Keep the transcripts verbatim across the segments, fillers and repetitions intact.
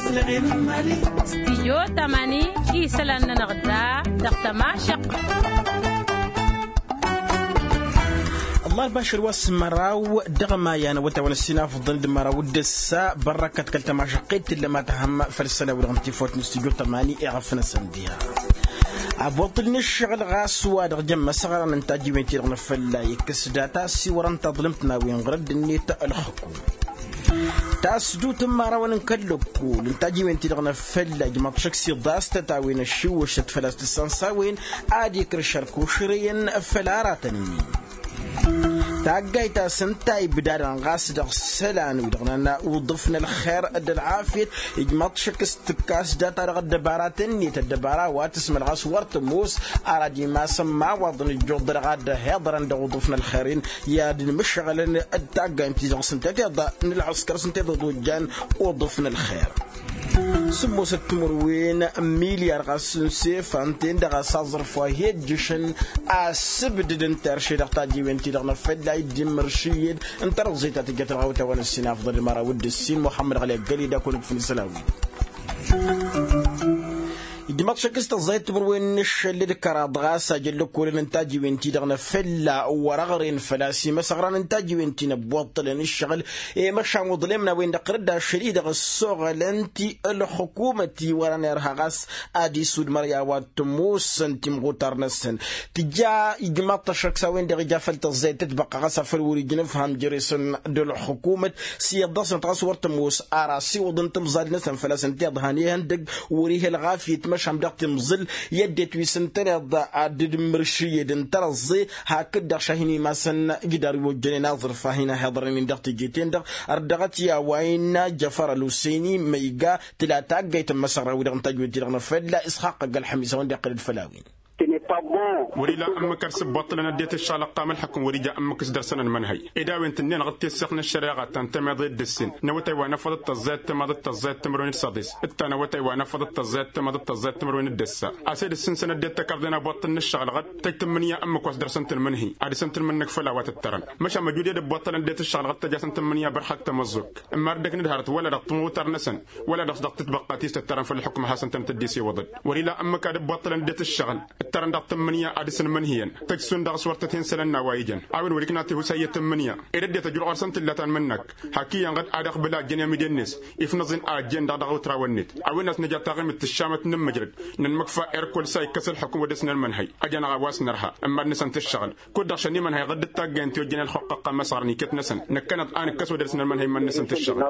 Stijyo tamani isălan-nănăɣ da dăɣ-tămašăq. Ăllah ălbašăr wa s-măraw dăɣ-maya n-awătawăn ăssinafḍăn d-măraw d-ǝssa bărrăkăt kăl-tămašăqqet tǝllăm ad-tăhăm făll-sălan-wi-dăɣ n-tifawt n-stijyo tamani iɣăf-năsăn diha. Aboṭṭǝl n-ǝššăɣǝl ɣas wa-dăɣ jăn imăsăɣran n-tajiwen-ti-dăɣ n-afălla ikkăs data s-iwărăn taḍlǝmt n-a-wen ɣur-ăddinnet ălxǝkum. Tasdut n-imărawăn n-kăl-lăkkol n-tajiwen-ti-dăɣ n-afălla ijmaḍ šăkk s-iḍas tăt-a-wen ăššiwwǝšăt făl-a-s tǝssan s-a-wen ad-ikrǝš ărkušrăyăn făll-aratăn-nin. Taggayt a-s ǝnta ibdadăn ɣas dăɣ-isălan-wi-dăɣ nănna uḍǝf n-ălxer d-ălɣafyăt ijmaḍ šăkk s-tǝkkas data-dăɣ ăddăbaratăn-net ăddăbara wa tǝsmăl ɣas wăr tămoos ara d-imasăn imawaḍăn ǝjjuḍ dăɣ-ad-ăhiḍărăn dăɣ-uḍǝf n-ălxer-in i-ad-ǝnmǝššăɣǝlăn d-taggayt ti-dăɣ s-ǝnta tiḍa n-ălɣǝskăr s-ǝnta tiḍa tojjan uḍǝf n-ălxer. Sǝmmosăt timǝrwen n-milyar ɣas n-sefan-ten-dăɣ a-s aẓrǝf wa hi-ăjjǝšăn asǝbdǝd n-terše dăɣ-tajiwen-ti-dăɣ n-afălla dd-imǝršǝyyăd n-tărẓe ta tǝjjăt ălɣawt a-wa n-ăssin afḍăl d-măraw d-ǝssin muḥămmăd ɣăli ăggăled akăwăn-ǝkfǝn isălan-wi. Ijmaḍ šăkk s-tăẓẓayăt timǝrwen n-ašăl d-kăraḍ ɣas ajăn lăkkolăn n-tajiwen-ti-dăɣ n-afălla wăr-ăɣren făl-a-s imăsăɣran n-tajiwen-ti n-ăbbuṭṭălăn ǝššăɣǝl i-măšan uḍlem n-a-wen-dăɣ tărǝdda ašăl-i-dăɣ ăssoɣălăn-t i-ălxukumăt i-wărăn irha ɣas ad-isudmăr i-a-wa t-ămoosăn timɣutar-năsăn. Tǝja ijmaḍ-t ăššăk s-a-wen-dăɣ ija făll-tăẓẓayăt tătbăqqa ɣas afăl wăr-ija n-ǝfham jere-săn d-ălxukumăt s-iyyăḍ dăɣ-snăt ɣas wăr tămoos ara asiwǝḍ n-timẓal-năsăn făl-a-s ǝnta iḍhan ihăndăgg wăr-ih' ălɣafyăt măšan dăɣ-timẓǝl i-ăddinăt wi s-ǝntăneḍ ad-dd-mǝršǝyyăd n-tărăẓẓe. Hakd-dăɣ šahin imasăn ǝjdar wi ojjănen aẓrǝf a hin-ahiḍărnen dăɣ-teje-ten-dăɣ ărdăɣăt i-a-wa innă jăfăr ălwăsăyni măyga tǝla taggayt n-imăsăɣra-wi-dăɣ n-tajwed-ti-dăɣ n-afălla isxaqq ăgg-ălxămis a-wen-dăɣ iqqăl-dd făll-a-wen. Wăr-ila ǝmmǝk ar s-ǝbbuṭṭǝlăn ăddinăt ǝššăɣǝl ăqqam ălḥukǝm wăr-ija ǝmmǝk s-dăr-săn ănmănhăy ed a-wen tǝnneɣ d-tessăɣt n-ăššăreɣa ta n-tămiḍe d-ǝssin n-awătay wa n-afăḍ d-tăẓẓayăt tămaḍ d-tăẓẓayăt timǝrwen d-săḍis d-ta n-awătay wa n-afăḍ d-tăẓẓayăt tămaḍ d-tăẓẓayăt timǝrwen d-ǝssa. A-s ed ǝssǝnsăn ăddinăt tăkarḍe n-abuṭṭǝl n-ǝššăɣǝl ɣǝd tăj tǝmmǝnǝya ǝmmǝk wa s-dăr-săn tǝlmǝnhǝy ad-dăr-săn tǝlmǝnnǝk făll-a-wa tǝttărăn. Măšan măjuded ǝbbuṭṭălăn ăddinăt ǝššăɣǝl ɣǝd tăj-asăn tǝmmǝnǝya bărhak tamăẓẓukt ǝmma ărdăknăt hărăt wăla dăɣ-timɣutar-năsăn wăla dăɣ-s dăɣ-tǝtbăqqa ti s-tǝttărăn făll-ălxukǝm ad-hasăn-tăn-tăddisew iwǝḍăd. Wăr-ila ǝmmǝk ad-ǝbbuṭṭălăn ăddinăt ǝššăɣǝl ǝttărăn dăɣ-tǝmmǝnǝya ad-dăr-săn mănhǝyăn tăj šund dăɣ-s wăr tăt-hin-sălăn n-a-wa ijăn. A-wen wăr-ikna tihusay i-tǝmmǝnǝya ed ăddinăt ăjruɣ ɣur-săn tǝlla ta n-imǝnnak hak iyyăn ɣǝd ad-ăqbǝl a ăjjăn i-amide-net ifnăẓ-in a ăjjeen-dăɣ dăɣ-awǝtrawăn-net. A-wen a-s nǝja taɣimit tǝššamăt n-ǝmmǝjrăd nǝnmǝkfa irkul s-a ikkăs ălxukǝm wa dăr-s nănmănhăy. Ăjănăɣ a-wa s-nărha ǝmma ad-năsăn tǝššăɣǝl kud-dăɣ šănimănhăy ɣǝd d-taggayăn ti ojjăn ălxuqq ăqqan măsɣărăn iket-năsăn năkkăneḍ a nǝkkăs wa dăr-s nănmănhăy iman-năsăn tǝššăɣǝl.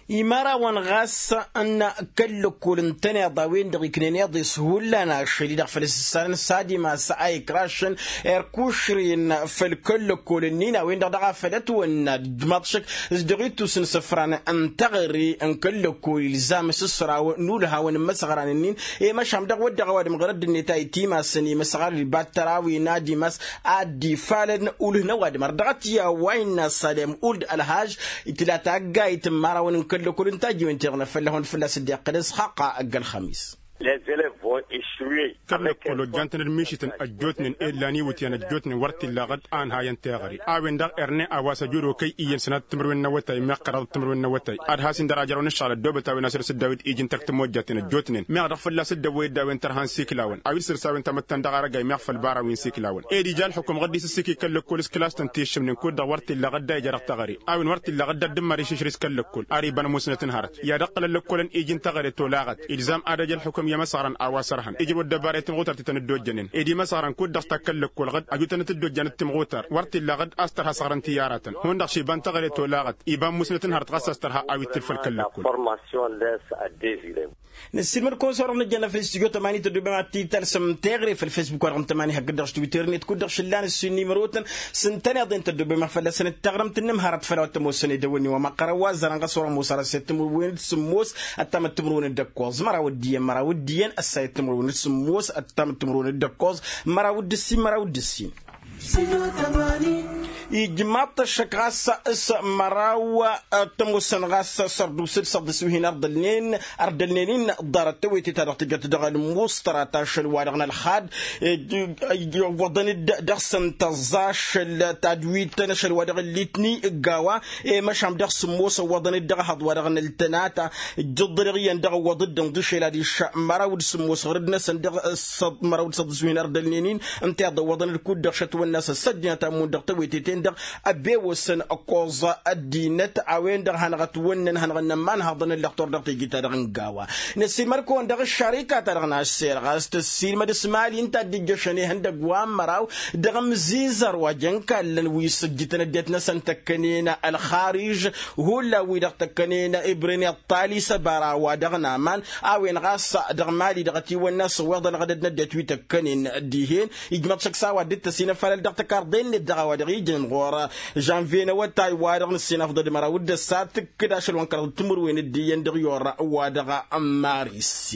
Imărawăn ɣas n-kăl-lăkkol ǝntăneḍ a-wen-dăɣ iknen iḍes hullan ašăl-i-dăɣ făl s-ǝssanăn s-ad-imas a ikrašăn erkušren făll-kăl-lăkkol-ǝnnin a-wen-dăɣ dăɣ-a făl ătwănna d-ijmaḍ šăkk s-dăɣ-ittus n-isǝfran n-teɣăre n-kăl-lăkkol ilzam s-ǝsraw n-ulhawăn n-imăsăɣran-ǝnnin. I-măšan dăɣ-wădden a-wa d-măɣrăd-net a itimasăn i-imăsăɣran ibattăr a-wen ad-imas ad-dd-ifalăn ulh n-ăwadǝm ărdăɣăt i-a-wa innă salem uld ălhaj. Itǝla taggayt n-imărawăn n-kăl-lăkkol n-tajiwen-ti-dăɣ n-afălla hund fălla-s dd-iqqăl isxaqqa ăgg-ălxămis. Kăl-lăkkol ojjan-tăn d-mišităn ăjjootnen ed lan iwǝtyan ăjjootnen wăr t-illa ɣǝd a ǝnhayăn teɣăre. A-wen-dăɣ erne a-wa s-ăjud okăy iyyăn sănatăt timǝrwen n-awătay meɣ kăraḍăt timǝrwen n-awătay ad-has-in-dăr ajrăwăn ǝššăɣǝl ăddoobăt a-wen a săr-s dd-a-wi d-iji n-tăkk tămojjaten ăjjootnen meɣ dăɣ-fălla-s dd-ăwwăy dd-a-wen tărha n-siklawen a-wi d-săr-s a-wen tamăttan dăɣ-arăgay meɣ făll-bara wi n-siklawen. Ed ija ălxukum ɣǝd-i s-ǝssǝki kăl-lăkkol s-kǝlas-tăn ti ǝššǝmnen kud-dăɣ wăr t-illa ɣǝd a ija dăɣ-teɣăre. A-wen wăr t-illa ɣǝd ad-dd-ǝmmăr išǝšrǝs kăl-lăkkol ar iba n-musnăt n-hărăt i-ad-ǝqqǝlăn lăkkolăn iji n-teɣăre tolaɣăt. Ilzam ad-ăj ălxukum i-imăsăɣran a-wa sărhăn ijrǝw ăddăbara i-timɣutar ti tăn-dd-ojjănen ed imăsăɣran kud-dăɣ s-ta kăl-lăkkol ɣǝd ăjutăn-t dd-ojjan d-timɣutar wăr t-illa ɣǝd a-s tărha săɣrăn-t i-aratăn hundăɣ š-iba n-teɣăre tolaɣăt iba n-musnăt n-hărăt ɣas a-s tărha a-wi t-tǝlfăl kăl-lăkkol. Năssiilmăd-kăwăn s-orăɣ nǝjjăn făll-studyo tămani tăddoobem ad-t-dd talsăm teɣăre făll-fesbuk-wa-dăɣ n-tămani hakd-dăɣ s-twitter-net kud-dăɣ šǝllan ǝssin n-imrotăn s-ǝntăneḍ-en tăddoobem a fălla-săn d-taɣrǝmt n-inǝmhărăt făll-a-wa t-ămoosăn edăwănnin wa măqqărăn wa ăzzarăn ɣas orămoos ar ăssayăt timǝrwen d-sǝmmos ăttamăt timǝrwen d-ǝkkoẓ măraw d-iyyăn măraw d-iyyăn ăssayăt timǝrwen d-sǝmmos ăttamăt timǝrwen d-ǝkkoẓ măraw d-ǝssin măraw d-ǝssin. Ijmaḍ-t ăššăk ɣas s-măraw, tămoosăn ɣas sărdusǝd săḍǝs wi hin-ărdălnen ărdălnen-in ḍarăt tewete-ta-dăɣ tǝjăt dăɣ-ălmuṣtăra ta ašăl-wa-dăɣ n-ălxad. Iwwăḍăn-dd dăɣ-săn tăẓẓa ašăl tadwit n-ašăl-wa-dăɣ n-litni ǝgg a-wa i-măšan dăɣ-sǝmmos ǝwwăḍăn-dd dăɣ-ehăḍ-wa-dăɣ n-ăltănata. Ǝjjǝḍ-dăɣ iyyăn dăɣ-ǝwwăḍ-dd ǝnḍǝšel adiš măraw d-sǝmmos ɣur-dd-năsăn dăɣ-săḍ măraw d-săḍǝs wi hin-ărdălnen-in. Ǝnta i-iḍăwwăḍăn ǝlkud-dăɣ šătwănna s-ăssăjjnăt a ǝmmun dăɣ-teweteten-dăɣ ăbewăsăn ăkkoẓ ăddinăt a-wen-dăɣ hanăɣ-ătwănnăn hanăɣ-ănnămmanhăḍăn ǝllăɣ tor dăɣ-teje-ta-dăɣ n-gawa. Năssiilmăd-kăwăn dăɣ-ăššarika-ta-dăɣ n-aššer ɣas tăssiilmăd s-imali ǝnta a dd-ijjăšăn ihăndăgg wa n-măraw dăɣ-amzizăr wa jăn kallăn wi s-ǝjjǝtăn ăddinăt-năsăn tăkkănen ălxariž. Hullan-wi-dăɣ tăkkănen ibren iṭṭal isăbara wa dăɣ-naman a-wen ɣas dăɣ-mali dăɣ-ătiwănna s-ăwweḍălăɣ d-ăddinăt wi tăkkănen dihen. Ijmăḍ šăkk s-a-wa dd-tăsinăfalăl dăɣ-tăkarḍe-net dăɣ-a-wa dăɣ-ijăn ɣur-žănvye n-awătay wa dăɣ-nǝssin afḍăd măraw d-ăssat tǝkkǝd ašăl wa n-kăraḍ timǝrwen d-iyyăn dăɣ-i orra wa dăɣ-maris.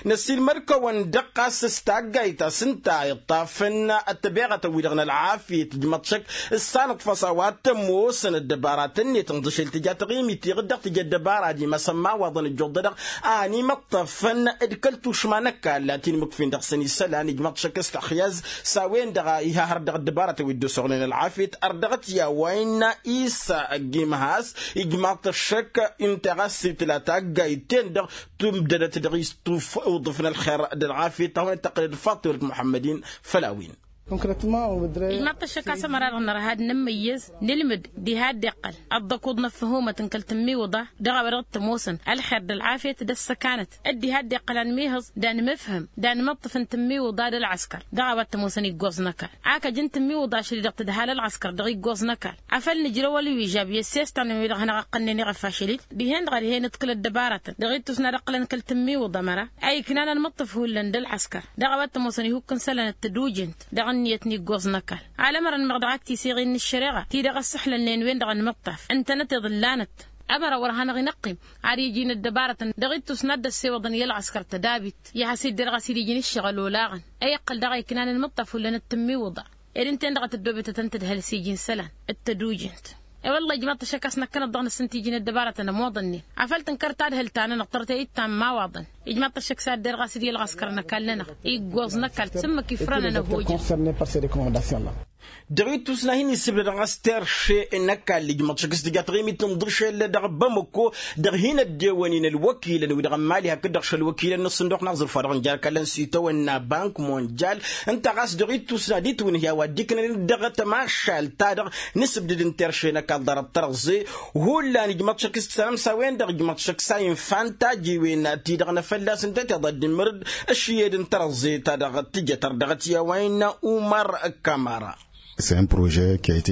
Năsiilmăd-kăwăn dăɣ-t ɣas s-taggayt ta s-ǝnta iṭṭafăn ăttăbeɣătăn-wi-dăɣ n-ălɣafyăt ǝjmăḍ šăkk s-sanăḍfăs a-wa t-ămoosăn ăddăbaratăn-net ǝnḍǝšel tǝja taɣimit tiɣǝd dăɣ-tǝja ăddăbara d-imasăn imawaḍăn ăjjuḍ-dăɣ a ănimăṭṭăfăn d-kăl-tušma n-ăkall a t-inmǝkfin dăɣ-săn isălan ijmăḍ šăkk s-taxyaz s-a-wen-dăɣ a iha hărăt dăɣ-ăddăbaratăn wi dd-ăsoɣnen ălɣafyăt ărdăɣăt i-a-wa innă isa ăgg-imhas. Ijmaḍ-t ăššăk ǝnta ɣas itla taggayt-ten-dăɣ tǝmdădăt dăɣ-istuf iwǝḍǝf n-ălxer d-ălɣafyăt ta hawăn-dd-tăqqǝlăd faṭimăt muḥămmăd-in. Făll-a-wen. Ijmaḍ-t ăššăk a-s ămăra-dăɣ nărha ad-nǝmmăyyăz nǝlmǝd diha a dd-iqqăl ăḍḍăkuḍ n-ăffăhumăt n-kăl-tǝmmiwǝḍa dăɣ-a-wa dăɣ-t ămoosăn ălxer d-ălɣafyăt d-ăssăkanăt. Dd-iha a dd-iqqăl anmihǝẓ d-anmǝfhǝm d-anmǝṭṭǝf n-tǝmmiwǝḍa d-ălɣăskăr dăɣ-a-wa t-ămoosăn iggoẓ n-ăkall. Akăj n-tǝmmiwǝḍa ašăl-i-dăɣ tǝdha ălɣăskăr dăɣ-iggoẓ n-ăkall. Afăl nǝjrăw ălwižab i-ăssestan-wi-dăɣ hanăɣ-ăqqănnen iɣăfašăl-dd dihen-dăɣ a dihen ǝḍkǝl ăddăbaratăn dăɣ-ittus n-ad-ǝqqǝlăn kăl-tǝmmiwǝḍa măra a iknan anmǝṭṭǝf hullan d-ălɣăskăr. Dăɣ-a-wa t-ămoosăn ihukk n-isălan d-tădujent dăɣ-ǝnniyăt n-iggoẓ n-ăkall. Alămărăn meɣ dăɣ-ak tiseɣin n-ǝššăreɣa ti-dăɣ ăssăxlălnen-wen-dăɣ ănmǝṭṭaf ǝntănăt iḍǝllanăt. Ămăra wăr hanăɣ-inăqqim ad-iji n-ăddăbarătăn dăɣ-ittus n-ad-dd-ăssewăḍăn i-ălɣăskăr tădabit i-ad-has-idder ɣas id-iji n-ǝššăɣǝl olaɣăn. Ăyăqqăl daɣ a iknan anmǝṭṭaf hullan d-tǝmmiwǝḍa ed ǝnta-en-dăɣ a tăddoobetăt ǝnta d-hălăs-iji n-isălan d-tădujent. I-wălla ijmaḍ-t ăššăk a-s năkkănăt dăɣ-năsăn tiji n-ăddăbarătăn ămoḍănnen afăl tǝnkăr tadhǝlt-ta-nănăɣ tărtăyăt ta n-imawaḍăn. Ijmaḍ-t ăššăk s-ad-derɣ a-s dd-i ălɣăskăr n-ăkall-nănăɣ iggoẓ n-ăkall s-ǝmmǝk ifrănăn ăhojăn. Dăɣ-ittus n-ad-hin-isǝbdădăn ɣas terše n-ăkall ijmaḍ-t ăššăk s-tǝja taɣimit n-iḍǝšel dăɣ-bamăko dăɣ-hin-ăddewăn-in ălwăkilăn wi-dăɣ n-mali hakd-dăɣ šălwăkilăn n-ǝssǝnduɣ n-aẓrǝf wa dăɣ-nǝjar kallăn s-itawănna bank monjal. Ǝnta ɣas dăɣ-ittus n-ad-itwǝnhǝy a-wa dd-iknăn dăɣ-tămašalt ta-dăɣ nǝsǝbdǝd n-terše n-ăkall ḍarăt tărăẓẓe. Hullan ijmăḍ šăkk s-tăsănăm s-a-wen-dăɣ ijmăḍ šăkk s-a infa n-tajiwen ti-dăɣ n-afălla-s ǝnta tiḍa dd-imǝrǝd ăššiyed n-tărăẓẓe ta dăɣ-tǝjăt ărdăɣăt i-a-wa innă umăr. Kămăra.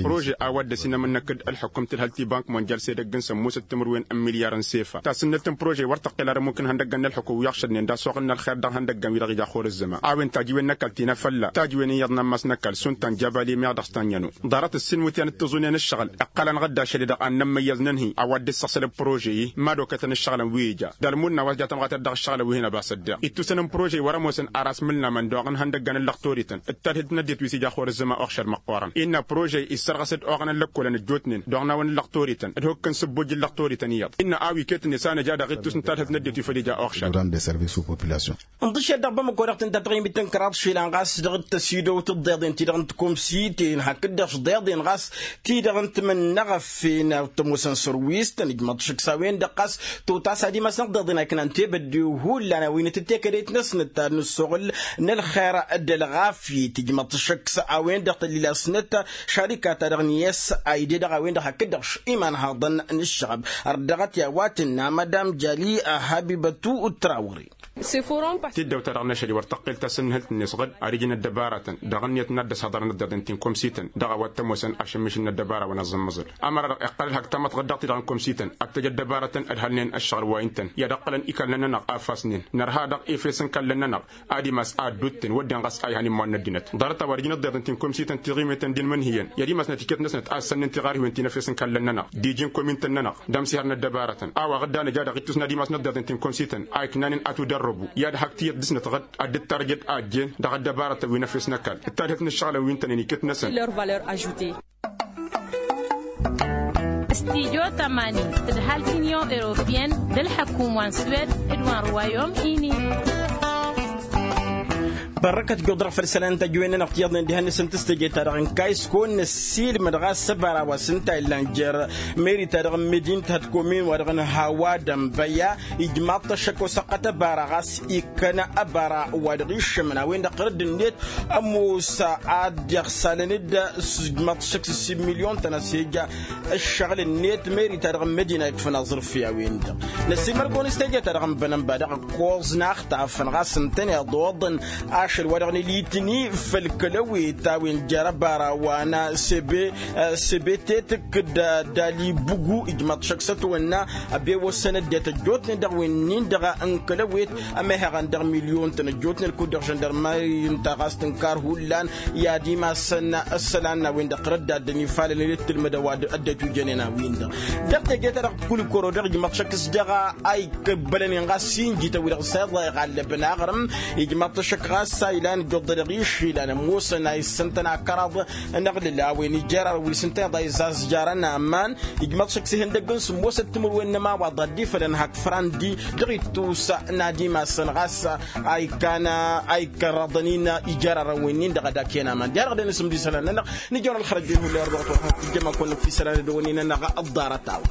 Prože a-wa dd-ăsinămănnăk d-ălxukum tǝlhăl ti-bank monjal s-edăgg n-sămmosăt timǝrwen n-milyar n-sefa tasǝnnălt n-prože wăr tăqqel ar ămmuk n-ihăndăggăn n-ălxukum wi ăɣšădnen d-asoɣăn n-ălxer dăɣ-ihăndăggăn wi-dăɣ ija ăxor ǝzzăma a-wen tajiwen n-ăkall ti n-afălla tajiwen iyyăḍ n-ammas n-ăkall šund ta n-jabal i-meɣ dăɣ-s ta n-iyyănu. Ḍarăt ǝssin iwǝtyan d-tiẓunen ǝššăɣǝl iqqălăn ɣǝdda ašăl-i-dăɣ ad-nămmăyyăẓ nǝnhǝy a-wa dd-issăɣsăl d-prože-i mad-okătăn ǝššăɣǝlăn wi ija d-almunna wa s-ja-tămɣatăt dăɣ-ǝššăɣǝlăn wi hin-ăbasăt daɣ ittusăn n-prože-i wăr-ămoosăn ar asmǝlnamăn dăɣ-ihăndăggăn n-lăqtorităn d-tadhǝlt n-ăddinăt wi s-ija ăxor ǝzzăma oɣšăr măqqoorăn innă prože-i issărɣăs-dd oɣăn n-lăkkolăn ăjjootnen d-oɣnawăn n-lăqtorităn d-hukk n-sǝbbujj n-lăqtorităn iyyăḍ innă a-wi iket-net a nǝja dăɣ-ittus n-tadhǝlt n-ăddinăt wi făl ija oɣšăr. Ǝnḍǝšel dăɣ-bamăko dăɣ-tǝnta taɣimit n-kăraḍ išilan ɣas dăɣ-tăsidăwt d-iḍeḍen ti-dăɣ n-tǝkumsitin hakd-dăɣ š-iḍeḍen ɣas ti-dăɣ n-timǝnnăɣăfen tămoosăn sărwistăn ijmăḍ šǝksa-wen-dăɣ ɣas totas ad-imasnăɣ d-iḍeḍen a iknan tebădde hullan a-wen itǝttekădăyt-năsnăt ta n-ǝssoɣǝl n-ălxer d-ălɣafyăt ijmăḍ šǝksa-wen-dăɣ tăllilasnăt šarika-ta-dăɣ n-yes a ide dăɣ-a-wen-dăɣ hakd-dăɣ š-imanhaḍăn n-ǝššăɣăb. Ărdăɣăt i-a-wa tǝnna madam jali habibătu trawre. Tiddăwt-ta-dăɣ n-ašăl-i wăr tăqqel tasǝnnǝhǝlt-net ɣǝd ar iji n-ăddăbaratăn dăɣ-ǝnniyăt n-ad-dd-ăshăḍărăn ǝḍḍeḍen ti n-komsităn dăɣ-a-wa t-ămoosăn ašǝmmiš n-ăddăbara wa n-aẓǝmmăẓăl. Ămăra-dăɣ iqqăl ălhăk tamăḍt ɣǝd dăɣ-ti-dăɣ n-komsităn ad-tăj ăddăbaratăn ădhălnen ăššăɣǝl wa ǝntăn i-ad-ăqqălăn ikallăn-nănăɣ a ăfasnen nărha dăɣ-efes n-ikallăn-nănăɣ ad-imas ad-dd-utten wădden ɣas a ihan immăn n-ăddinăt ḍarăt a-wa dd-ijǝn ăḍḍeḍen ti n-komsităn tiɣimeten d-inmǝnhǝyăn i-ad-imasnăt iket-năsnăt a ǝssănnen tiɣarhiwen ti n-efes n-ikallăn-nănăɣ d-iji n-komintăn-nănăɣ d-amsihăr n-ăddăbarătăn a-wa ɣǝdda nǝja dăɣ-ittus n-ad-imas n-ăḍḍeḍen ti n-komsităn a iknanen atudărrăbu i-ad-hak tiyyăt dăɣ-snăt ɣǝd ad-dd-tarjăd a ăjjeen dăɣ-ăddăbarătăn wi n-efes n-ăkall d-tadhǝlt n-ǝššăɣǝlăn wi ǝntănen iket-năsăn. Leur valeur ajoutée. Stijo tămani d-ǝlhal t-inyon europiyăn d-ălḥăkum wa n-swed d-wa n-ruwayom-ini. Bărrăkăt ijjuḍ-dăɣ făll-isălan n-tajjăwen-nănăɣ tiyyăḍnen dihen-năsăn tǝstăje-ta-dăɣ n-kaysko n-ăssiilmăd ɣas ăbara wa s-ǝnta illan jer-meri-ta-dăɣ n-medin-t hătkomin wa dăɣ-nǝhawa d-ănbăya. Ijmaḍ-t ăššăk osăqqăt ăbara ɣas ikkăn ăbara wa dăɣ-iššămăn a-wen-dăɣ ɣărădd-net ămoos ad-dd-iɣsalăn-dd s-ijmaḍ-t ăššăk s-ǝssin milyon-tăn a-s ija ăššăɣǝl-net meri-ta-dăɣ n-medina ikfăn aẓrǝf i-a-wen-dăɣ. Năsimărgon s-teje-ta-dăɣ n-bănănba dăɣ-ăkkoẓ n-axtafăn ɣas ǝntăneḍ oḍăn ašăl wa dăɣ-nǝlitni făll-kălăwet a-wen jer-ăbara wa n-sebe. Sebetetăk d-dali bugu ijmaḍ-t šăkk s-ătwănna ăbewăsăn ăddinăt ăjjootnen dăɣ-wen-in-dăɣ n-kălăwet ămehăɣăn dăɣ-milyon-tăn ăjjootnen kud-dăɣ žăndărmari ǝnta ɣas tǝnkar hullan i-ad-imassăn ăssălan n-a-wen-dăɣ tărăddaddăn ifalăn i-dd-tǝlmǝdăw ad-ăddinăt ujănen a-wen-dăɣ. Dăɣ-teje-ta-dăɣ kulikoro-dăɣ ijmaḍ-t šăkk s-dăɣ a ikăbbălăn-in ɣas injităn-wi-dăɣ s-iḍa iɣallăbăn aɣrǝm. Ijmaḍ-t ăššăk ɣas a ilan ijjuḍ-dăɣ išilan ămoosăn a issăn-tăn akăraḍ n-aɣlǝl a-wen ijar-arăw wi s-ǝnta iḍa izazzjarăn aman. Ijmaḍ-t šăkk s-ihăndăgg n-sǝmmosăt timǝrwen n-ămawaḍ ad-dd-ifălăn hak fărandi dăɣ-ittus n-ad-imassăn ɣas a ikkan a ikkărraḍăn-in ijar-arăw-wen-in-dăɣ ad-akăyăn aman diha-dăɣ dăɣ-nǝsǝmd isălan-nănăɣ. Nǝjăwăn ălxărăj-en hullan dăɣ-tăjjăm ad-kăwăn-nǝkf isălan ad-dăɣ-wen-in-nănăɣ ăḍḍarăt-a-wen.